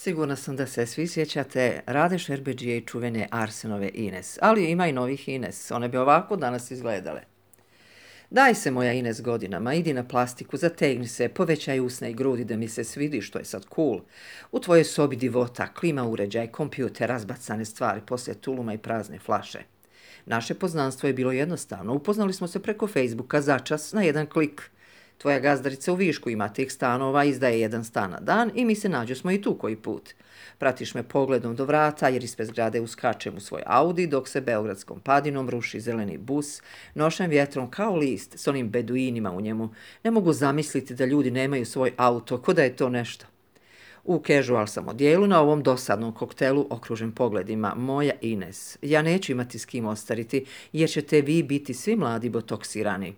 Sigurna sam da se svi sjećate Rade Šerbedžije i čuvene Arsenove Ines, ali ima i novih Ines, one bi ovako danas izgledale. Daj se moja Ines godinama, idi na plastiku, zategni se, povećaj usne i grudi da mi se svidi što je sad cool. U tvojoj sobi divota, klima uređaj, kompjuter, razbacane stvari poslije tuluma i prazne flaše. Naše poznanstvo je bilo jednostavno, upoznali smo se preko Facebooka začas na jedan klik. Tvoja gazdarica u Višku ima tih stanova, izdaje jedan stan na dan i mi se nađosmo i tu koji put. Pratiš me pogledom do vrata jer ispred zgrade uskačem u svoj Audi dok se beogradskom padinom ruši zeleni bus, nošen vjetrom kao list s onim beduinima u njemu. Ne mogu zamisliti da ljudi nemaju svoj auto, ko da je to nešto. U casual sam odjelu na ovom dosadnom koktelu okružen pogledima. Moja Ines, ja neću imati s kim ostariti jer ćete vi biti svi mladi botoksirani.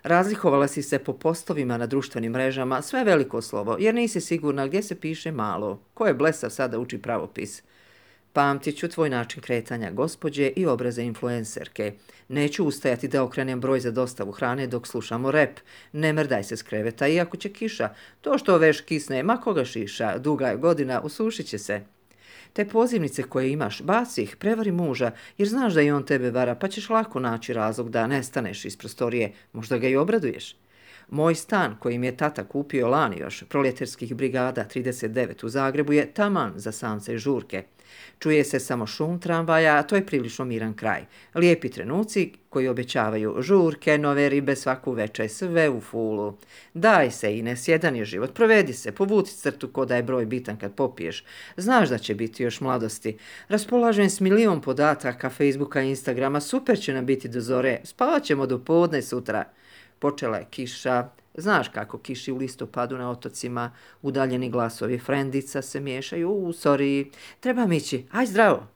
Razlikovala si se po postovima na društvenim mrežama, sve veliko slovo, jer nisi sigurna gdje se piše malo. Ko je blesav sada uči pravopis? Pamtit ću tvoj način kretanja gospođe i obraze influencerke. Neću ustajati da okrenem broj za dostavu hrane dok slušamo rep. Ne mrdaj se s kreveta, iako će kiša. To što veš kisne, ma koga šiša, duga je godina, usušit će se. Te pozivnice koje imaš, baci ih, prevari muža, jer znaš da i on tebe vara, pa ćeš lako naći razlog da nestaneš iz prostorije, možda ga i obraduješ. Moj stan, koji mi je tata kupio lani još, Proljetarskih brigada 39 u Zagrebu, je taman za samce i žurke. Čuje se samo šum tramvaja, a to je prilično miran kraj. Lijepi trenuci koji obećavaju žurke, nove ribe svaku večer, sve u fulu. Daj se, Ines, jedan je život, provedi se, povuci crtu ko da je broj bitan kad popiješ. Znaš da će biti još mladosti. Raspolažem s milion podataka Facebooka i Instagrama, super će nam biti do zore, spavat ćemo do podne sutra. Počela je kiša, znaš kako kiši u listopadu na otocima, udaljeni glasovi frendica se miješaju, sorry, trebam ići, aj zdravo.